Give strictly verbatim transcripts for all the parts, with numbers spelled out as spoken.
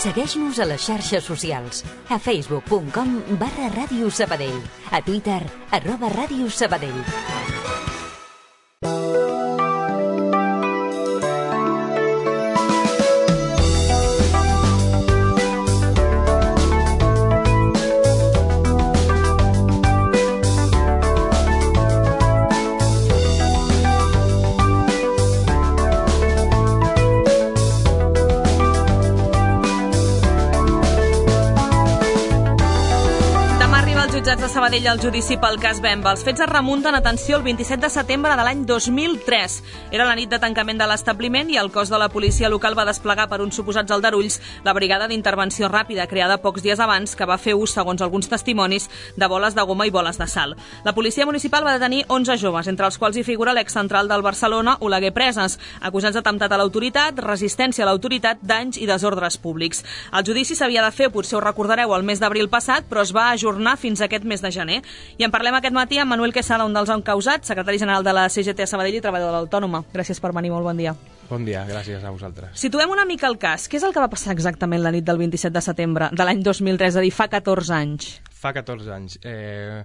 Segueix-nos a les xarxes socials. A facebook punt com barra Ràdio Sabadell. A Twitter, arroba Ràdio Sabadell. De Sabadell al judici pel cas Bemba. Els fets es remunten, atenció, el vint-i-set de setembre de l'any dos mil tres. Era la nit de tancament de l'establiment i el cos de la policia local va desplegar per uns suposats aldarulls la brigada d'intervenció ràpida, creada pocs dies abans, que va fer ús, segons alguns testimonis, de boles de goma i boles de sal. La policia municipal va detenir onze joves, entre els quals hi figura l'excentral del Barcelona, Oleguer Preses, acusats d'atemptat a l'autoritat, resistència a l'autoritat, danys i desordres públics. El judici s'havia de fer, potser ho recordareu, el mes d'abril passat, però es va ajornar fins a aquest mes de gener. I en parlem aquest matí amb Manuel Quesada, un dels encausats, secretari general de la C G T a Sabadell i treballador de l'Autònoma. Gràcies per venir, molt bon dia. Bon dia, gràcies a vosaltres. Situem una mica el cas. Què és el que va passar exactament la nit del vint-i-set de setembre de l'any dos mil tres, és a dir, fa catorze anys? Fa catorze anys. Eh,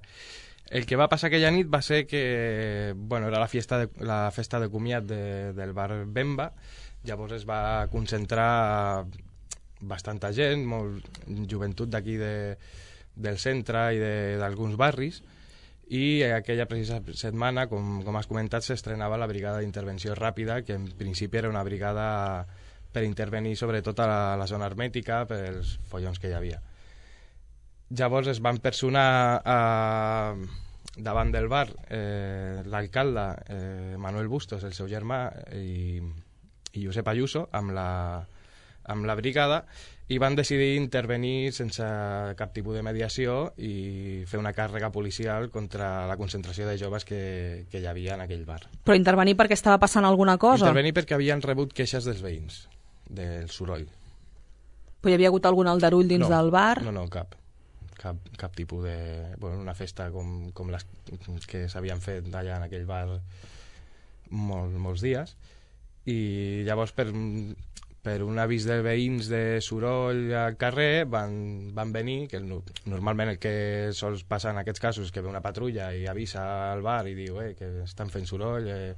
el que va passar aquella nit va ser que, bueno, era la festa de, la festa de comiat de, del bar Bemba. Llavors es va concentrar bastanta gent, molt joventut d'aquí de del centre i d'alguns barris, i aquella precisa setmana, com, com has comentat, s'estrenava la brigada d'intervenció ràpida, que en principi era una brigada per intervenir sobretot a la, a la zona hermètica pels follons que hi havia. Llavors es van personar a, davant del bar eh, l'alcalde eh, Manuel Bustos, el seu germà, i, i Josep Ayuso, amb la, amb la brigada, i van decidir intervenir sense cap tipus de mediació i fer una càrrega policial contra la concentració de joves que, que hi havia en aquell bar. Però intervenir perquè estava passant alguna cosa? Intervenir perquè havien rebut queixes dels veïns, del soroll. Però hi havia hagut algun aldarull dins no, del bar? No, no, cap. Cap, cap tipus de... Bueno, una festa com, com les que s'havien fet allà en aquell bar molt, molts dies. I llavors per... per un avís de veïns de soroll al carrer van, van venir, que normalment el que sols passar en aquests casos és que ve una patrulla i avisa al bar i diu eh, que estan fent soroll, eh,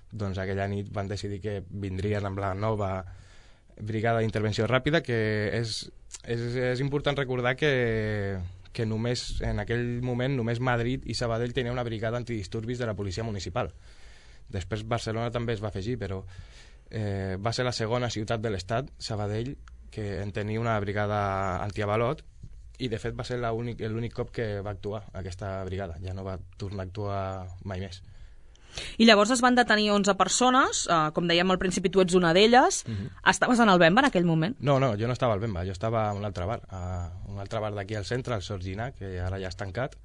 doncs aquella nit van decidir que vindrien amb la nova brigada d'intervenció ràpida, que és, és, és important recordar que, que només en aquell moment només Madrid i Sabadell tenia una brigada antidisturbis de la policia municipal. Després Barcelona també es va afegir, però Eh, va ser la segona ciutat de l'estat, Sabadell, que en tenia una brigada antiavalot, i de fet va ser l'únic cop que va actuar aquesta brigada, ja no va tornar a actuar mai més. I llavors es van detenir onze persones, eh, com dèiem al principi tu ets una d'elles. Uh-huh. Estaves en el Bemba en aquell moment? No, no, jo no estava al Bemba, jo estava a un altre bar, a un altre bar d'aquí al centre, al Sorgina, que ara ja està tancat,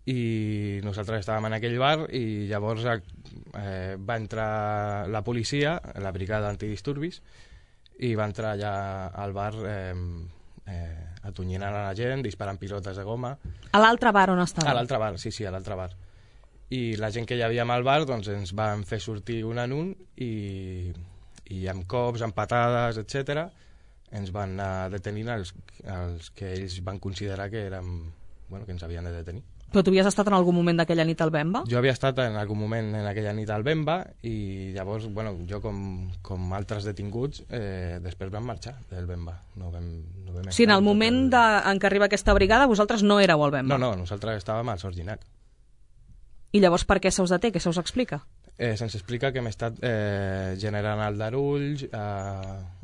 i nosaltres estàvem en aquell bar i llavors eh, va entrar la policia, la brigada antidisturbis, i va entrar allà al bar eh, eh, atonyinant a la gent, disparant pilotes de goma. A l'altre bar on estava? A l'altre bar, sí, sí, a l'altre bar. I la gent que hi havia al bar doncs, ens van fer sortir un en un i, i amb cops, amb patades, etcètera, ens van anar detenint els, els que ells van considerar que, eren, bueno, que ens havien de detenir. Però tu havies estat en algun moment d'aquella nit al Bemba? Jo havia estat en algun moment en aquella nit al Bemba i llavors, bueno, jo com, com altres detinguts, eh, després vam marxar del Bemba. No vam, no vam sí, en el moment el... de, en què arriba aquesta brigada, vosaltres no éreu al Bemba? No, no, nosaltres estàvem al Sorginet. I llavors per què se us deté? Què se us explica? Eh, se'ns explica que hem estat eh, generant aldarulls a,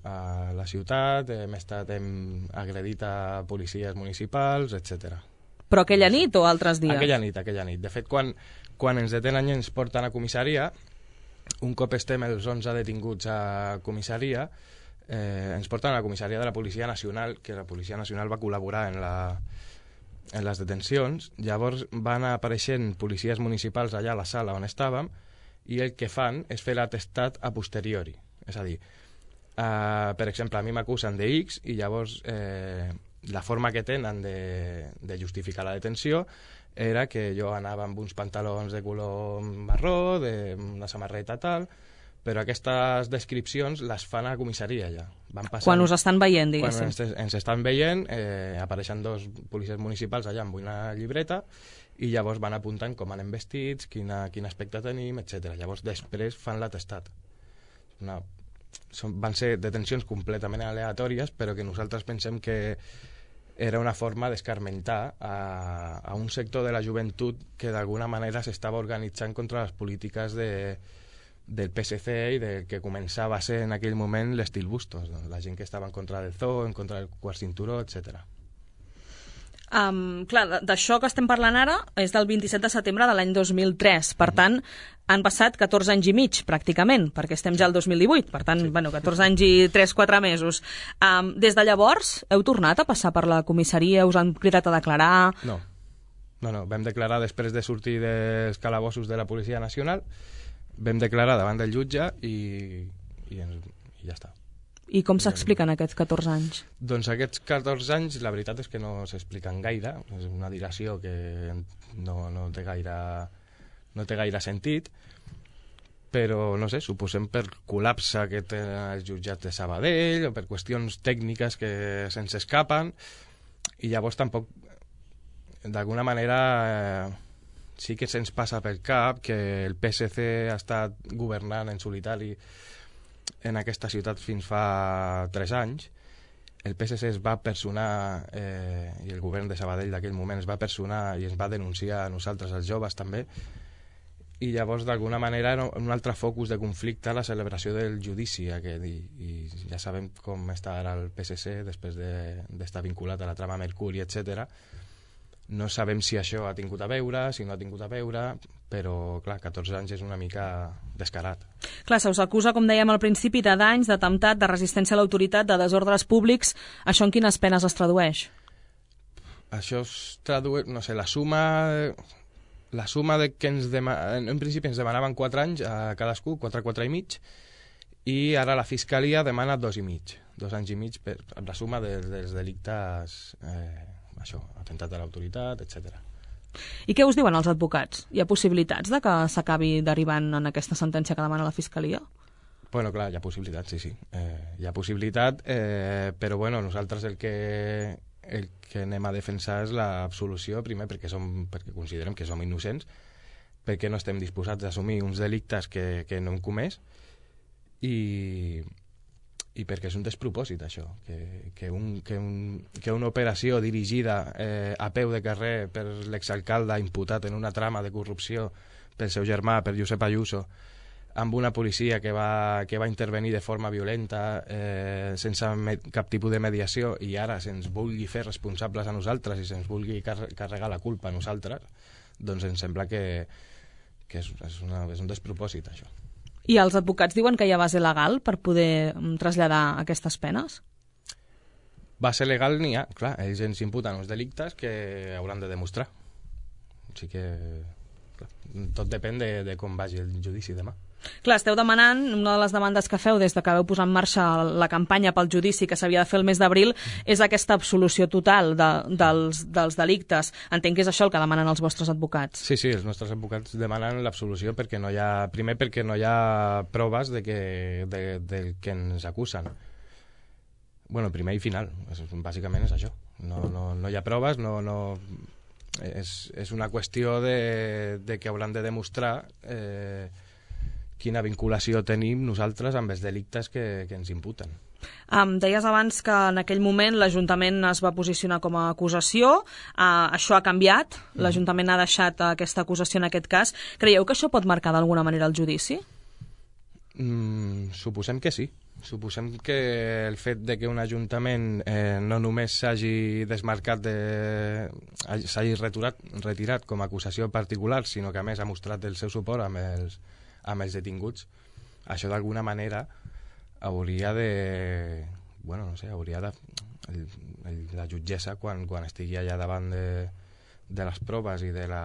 a la ciutat, hem estat hem agredit a policies municipals, etcètera. Però aquella nit o altres dies? Aquella nit, aquella nit. De fet, quan, quan ens detenen i ens porten a comissaria, un cop estem els onze detinguts a comissaria, eh, ens porten a la comissaria de la Policia Nacional, que la Policia Nacional va col·laborar en, la, en les detencions. Llavors van apareixent policies municipals allà a la sala on estàvem i el que fan és fer l'atestat a posteriori. És a dir, eh, per exemple, a mi m'acusen de X i llavors... Eh, la forma que tenen de, de justificar la detenció era que jo anava amb uns pantalons de color marró, de una samarreta tal, però aquestes descripcions les fan a la comissaria ja. van passant... Quan us estan veient, diguéssim. Quan ens, ens estan veient, eh, apareixen dos policies municipals allà amb una llibreta i llavors van apuntant com anem vestits, quina, quin aspecte tenim, etcètera. Llavors després fan l'atestat. Una, són, van ser detencions completament aleatòries, però que nosaltres pensem que era una forma d'escarmentar a, a un sector de la joventut que d'alguna manera s'estava organitzant contra les polítiques de, del P S C i del que començava a ser en aquell moment l'estil Bustos, no? La gent que estava en contra del zoo, en contra del quart cinturó, etcètera. Um, clar, d'això que estem parlant ara és del vint-i-set de setembre de l'any dos mil tres. Per mm. tant, han passat catorze anys i mig, pràcticament, perquè estem ja al dos mil divuit. Per tant, sí. bueno, catorze anys i tres quatre mesos. Um, des de llavors, heu tornat a passar per la comissaria? Us han cridat a declarar? No. No, no. Vam declarar després de sortir dels calabossos de la Policia Nacional. Vam declarar davant del jutge i, i, ens, i ja està. I com s'expliquen aquests catorze anys? Doncs aquests catorze anys, la veritat és que no s'expliquen gaire. És una dilació que no, no, té gaire, no té gaire sentit, però, no sé, suposem per col·lapse que tenen els jutjats de Sabadell o per qüestions tècniques que se'ns escapen, i llavors tampoc, d'alguna manera, eh, sí que se'ns passa pel cap que el P S C ha estat governant en solitari en aquesta ciutat fins fa tres anys. El P S C es va personar, eh, i el govern de Sabadell d'aquell moment es va personar i ens va denunciar a nosaltres, els joves també, i llavors d'alguna manera era un altre focus de conflicte a la celebració del judici aquest, i, i ja sabem com està ara el P S C després d'estar de, vinculat a la trama Mercuri, etcètera. No sabem si això ha tingut a veure, si no ha tingut a veure, però, clar, catorze anys és una mica descarat. Clar, se us acusa, com dèiem al principi, de danys, d'atemptat, de resistència a l'autoritat, de desordres públics. Això en quines penes es tradueix? Això es tradueix, no sé, la suma... La suma de que ens demanaven... En principi ens demanaven quatre anys a cadascú, quatre, quatre i mig, i ara la Fiscalia demana dos i mig. Dos anys i mig per la suma dels, dels delictes... Eh, això, atemptat a l'autoritat, etcètera. I què us diuen els advocats? Hi ha possibilitats de que s'acabi derivant en aquesta sentència que demana la Fiscalia? Bueno, clar, hi ha possibilitat, sí, sí. Eh, hi ha possibilitat, eh, però bueno, nosaltres el que, el que anem a defensar és l'absolució, primer perquè, som, perquè considerem que som innocents, perquè no estem disposats a assumir uns delictes que, que no hem comès, i... i perquè és un despropòsit això, que, que, un, que, un, que una operació dirigida eh, a peu de carrer per l'exalcalde imputat en una trama de corrupció pel seu germà, per Josep Ayuso, amb una policia que va, que va intervenir de forma violenta, eh, sense cap tipus de mediació, i ara se'ns vulgui fer responsables a nosaltres i se'ns vulgui car carregar la culpa a nosaltres, doncs em sembla que, que és, és, una, és un despropòsit això. I els advocats diuen que hi ha base legal per poder traslladar aquestes penes? Base legal n'hi ha, clar. Ells ens imputen uns delictes que hauran de demostrar. O sigui que clar, tot depèn de, de com vagi el judici demà. Clar, esteu demanant, una de les demandes que feu des de que veu posar en marxa la campanya pel judici que s'havia de fer el mes d'abril és aquesta absolució total de, dels, dels delictes. Entenc que és això el que demanen els vostres advocats. Sí, sí, els nostres advocats demanen l'absolució perquè no hi ha, primer perquè no hi ha proves de que, de, de que ens acusen. Bueno, primer i final, és, bàsicament és això. No, no, no hi ha proves, no, no, és, és una qüestió de, de que hauran de demostrar eh, quina vinculació tenim nosaltres amb els delictes que, que ens imputen. Um, deies abans que en aquell moment l'Ajuntament es va posicionar com a acusació, uh, això ha canviat, l'Ajuntament ha deixat aquesta acusació en aquest cas. Creieu que això pot marcar d'alguna manera el judici? Mm, suposem que sí. Suposem que el fet de que un ajuntament eh, no només s'hagi desmarcat, de, s'hagi retirat, retirat com a acusació particular, sinó que a més ha mostrat el seu suport amb els, amb els detinguts, això d'alguna manera hauria de... Bueno, no sé, hauria de... El, el, la jutgessa, quan, quan estigui allà davant de, de les proves i de la...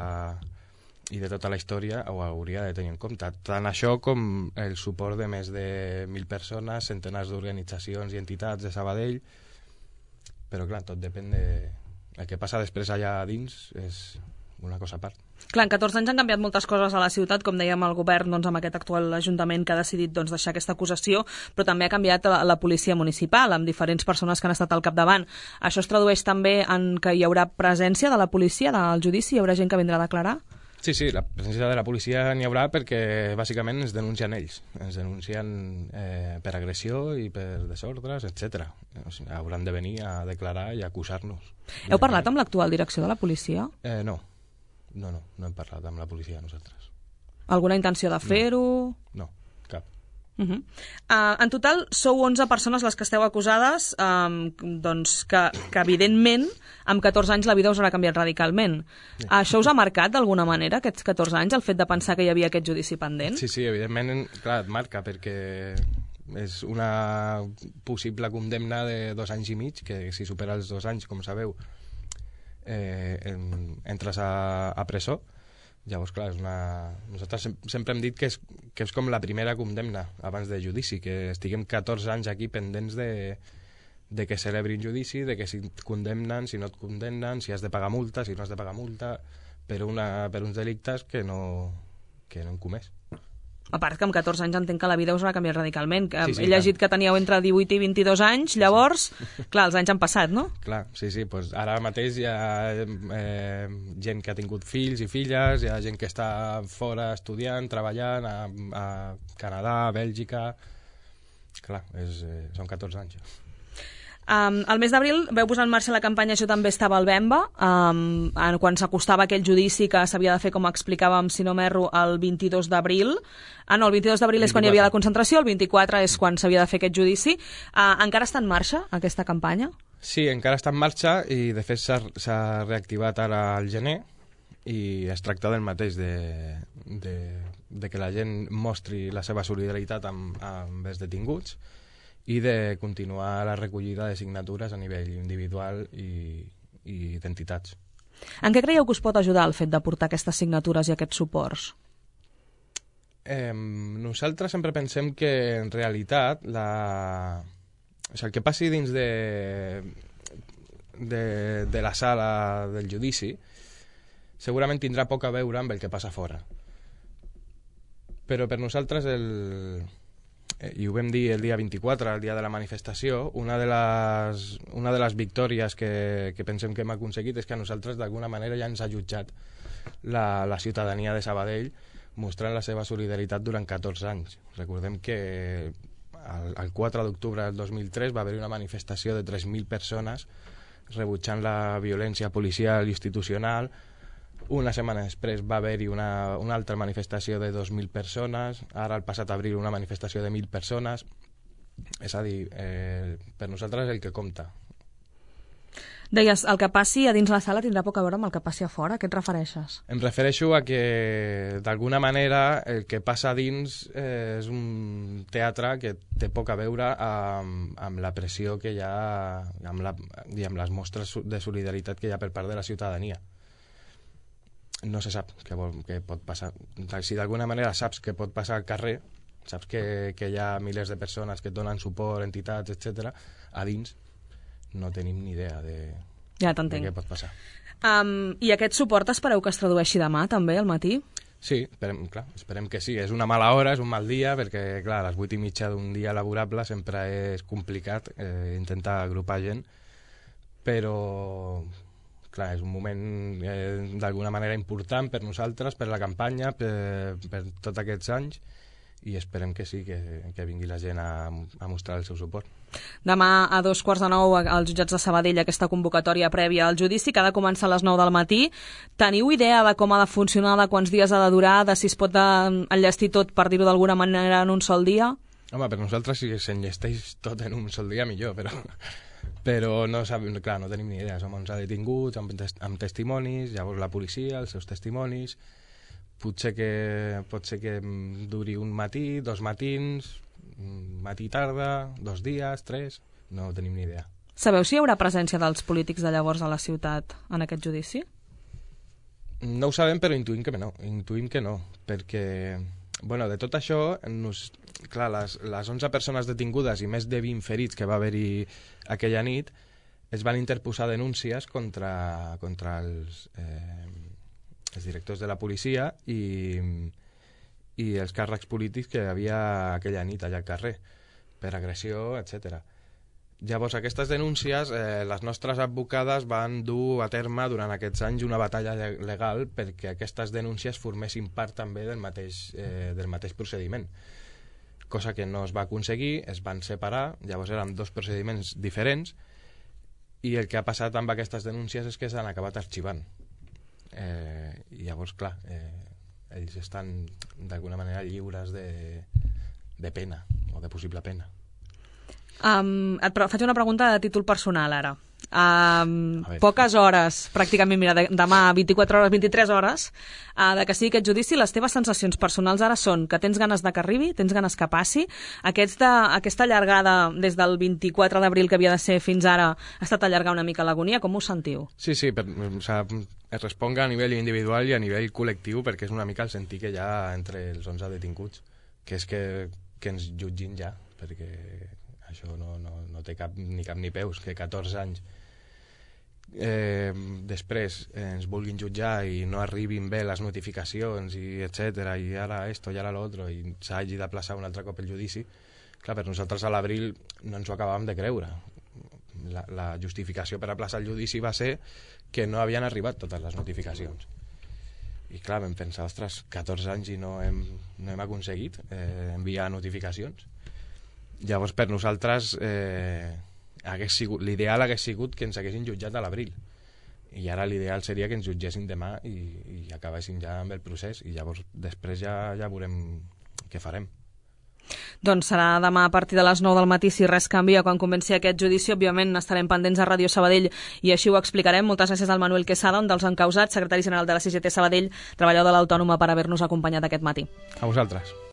i de tota la història ho hauria de tenir en compte. Tant això com el suport de més de mil persones, centenars d'organitzacions i entitats de Sabadell, però clar, tot depèn de... El que passa després allà dins és una cosa a part. Clar, en catorze anys han canviat moltes coses a la ciutat, com dèiem, el govern doncs, amb aquest actual ajuntament que ha decidit doncs, deixar aquesta acusació, però també ha canviat la, la policia municipal, amb diferents persones que han estat al capdavant. Això es tradueix també en que hi haurà presència de la policia del judici? Hi haurà gent que vindrà a declarar? Sí, sí, la presència de la policia n'hi haurà perquè bàsicament ens denuncien ells. Ens denuncien eh, per agressió i per desordres, etcètera. O sigui, hauran de venir a declarar i a acusar-nos. Heu parlat amb l'actual direcció de la policia? Eh, no. No, no, no hem parlat amb la policia nosaltres. Alguna intenció de fer-ho? No, cap. Uh -huh. uh, en total sou onze persones les que esteu acusades, um, doncs que, que evidentment amb catorze anys la vida us haurà canviat radicalment. Yeah. Uh, això us ha marcat d'alguna manera, aquests catorze anys, el fet de pensar que hi havia aquest judici pendent? Sí, sí, evidentment, clar, et marca, perquè és una possible condemna de dos anys i mig, que si supera els dos anys, com sabeu, eh, en, entres a, a presó. Llavors, clar, és una... nosaltres sem sempre hem dit que és, que és com la primera condemna abans de judici, que estiguem catorze anys aquí pendents de, de que celebrin judici, de que si et condemnen, si no et condemnen, si has de pagar multa, si no has de pagar multa, per, una, per uns delictes que no, que no hem comès. A part que amb catorze anys entenc que la vida us ha canviat radicalment. Sí, sí, He llegit clar. que teníeu entre divuit i vint-i-dos anys, llavors, clar, els anys han passat, no? Clar, sí, sí, doncs ara mateix hi ha eh, gent que ha tingut fills i filles, hi ha gent que està fora estudiant, treballant, a, a Canadà, a Bèlgica... Clar, és, eh, són catorze anys. Um, el mes d'abril veu posar en marxa la campanya Jo també estava al Bemba, um, quan s'acostava aquell judici que s'havia de fer, com explicàvem, si no m'erro, el vint-i-dos d'abril. Ah, no, el vint-i-dos d'abril és quan hi havia la concentració, el vint-i-quatre és quan s'havia de fer aquest judici. Uh, encara està en marxa aquesta campanya? Sí, encara està en marxa i de fet s'ha reactivat ara al gener i es tracta del mateix, de, de, de que la gent mostri la seva solidaritat amb, amb els detinguts i de continuar la recollida de signatures a nivell individual i, i d'entitats. En què creieu que us pot ajudar el fet de portar aquestes signatures i aquests suports? Eh, nosaltres sempre pensem que en realitat la... o sigui, el que passi dins de, de, de la sala del judici segurament tindrà poc a veure amb el que passa fora. Però per nosaltres el... i ho vam dir el dia vint-i-quatre, el dia de la manifestació, una de les, una de les victòries que, que pensem que hem aconseguit és que a nosaltres d'alguna manera ja ens ha jutjat la, la ciutadania de Sabadell mostrant la seva solidaritat durant catorze anys. Recordem que el, el quatre d'octubre del dos mil tres va haver-hi una manifestació de tres mil persones rebutjant la violència policial i institucional. Una setmana després va haver-hi una, una altra manifestació de dos mil persones, ara el passat abril una manifestació de mil persones. És a dir, eh, per nosaltres el que compta. Deies, el que passi a dins la sala tindrà poc a veure amb el que passi a fora. A què et refereixes? Em refereixo a que, d'alguna manera, el que passa a dins eh, és un teatre que té poc a veure amb, amb la pressió que hi ha, amb, la, i amb les mostres de solidaritat que hi ha per part de la ciutadania. No se sap què, vol, què pot passar. Si d'alguna manera saps què pot passar al carrer, saps que, que hi ha milers de persones que et donen suport, entitats, etcètera, a dins no tenim ni idea de, ja de què pot passar. Um, I aquest suport espereu que es tradueixi demà, també, al matí? Sí, esperem, clar, esperem que sí. És una mala hora, és un mal dia, perquè clar, a les vuit i mitja d'un dia laborable sempre és complicat eh, intentar agrupar gent, però... clar, és un moment eh, d'alguna manera important per nosaltres, per la campanya, per, per tots aquests anys, i esperem que sí, que, que vingui la gent a, a mostrar el seu suport. Demà a dos quarts de nou als jutjats de Sabadell aquesta convocatòria prèvia al judici, que ha de començar a les nou del matí. Teniu idea de com ha de funcionar, de quants dies ha de durar, de si es pot enllestir tot, per dir-ho d'alguna manera, en un sol dia? Home, per nosaltres si s'enllesteix tot en un sol dia millor, però... però no sabem, clar, no tenim ni idea. Som onze detinguts amb, tes amb testimonis, llavors la policia, els seus testimonis. Potser que, pot ser que duri un matí, dos matins, matí-tarda, dos dies, tres... No tenim ni idea. Sabeu si hi haurà presència dels polítics de llavors a la ciutat en aquest judici? No ho sabem, però intuïm que no. Intuïm que no, perquè... Bueno, de tot això, nos, clar, les, les onze persones detingudes i més de vint ferits que va haver-hi aquella nit, es van interposar denúncies contra, contra els, eh, els directors de la policia i, i els càrrecs polítics que hi havia aquella nit allà al carrer, per agressió, etcètera. Llavors, aquestes denúncies, eh, les nostres advocades van dur a terme durant aquests anys una batalla legal perquè aquestes denúncies formessin part també del mateix, eh, del mateix procediment, cosa que no es va aconseguir, es van separar, llavors eren dos procediments diferents, i el que ha passat amb aquestes denúncies és que s'han acabat arxivant. Eh, I llavors, clar, eh, ells estan d'alguna manera lliures de, de pena, o de possible pena. Um, et faig una pregunta de títol personal ara. Um, poques hores, pràcticament, mira, de, demà vint-i-quatre hores, vint-i-tres hores, uh, de que sigui aquest judici. Les teves sensacions personals ara són que tens ganes de que arribi, tens ganes que passi. Aquesta, aquesta allargada des del vint-i-quatre d'abril que havia de ser fins ara ha estat allargar una mica l'agonia. Com us sentiu? Sí, sí, per, o sea, es responga a nivell individual i a nivell col·lectiu, perquè és una mica el sentir que hi ha entre els onze detinguts, que és que, que ens jutgin ja, perquè això no, no, no té cap ni cap ni peus, que catorze anys eh, després eh, ens vulguin jutjar i no arribin bé les notificacions i etcètera, i ara esto i ara l'altre, i s'hagi de plaçar un altre cop el judici. Clar, per nosaltres a l'abril no ens ho acabàvem de creure. La, la justificació per aplaçar el judici va ser que no havien arribat totes les notificacions. I clar, vam pensar, ostres, catorze anys i no hem, no hem aconseguit eh, enviar notificacions. Llavors, per nosaltres, eh, l'ideal hagués sigut que ens haguessin jutjat a l'abril. I ara l'ideal seria que ens jutgessin demà i, i acabéssim ja amb el procés. I llavors, després ja, ja veurem què farem. Doncs serà demà a partir de les nou del matí, si res canvia, quan comenci aquest judici. Òbviament estarem pendents a Ràdio Sabadell i així ho explicarem. Moltes gràcies al Manuel Quesada, un dels encausats, secretari general de la C G T Sabadell, treballador de l'Autònoma, per haver-nos acompanyat aquest matí. A vosaltres.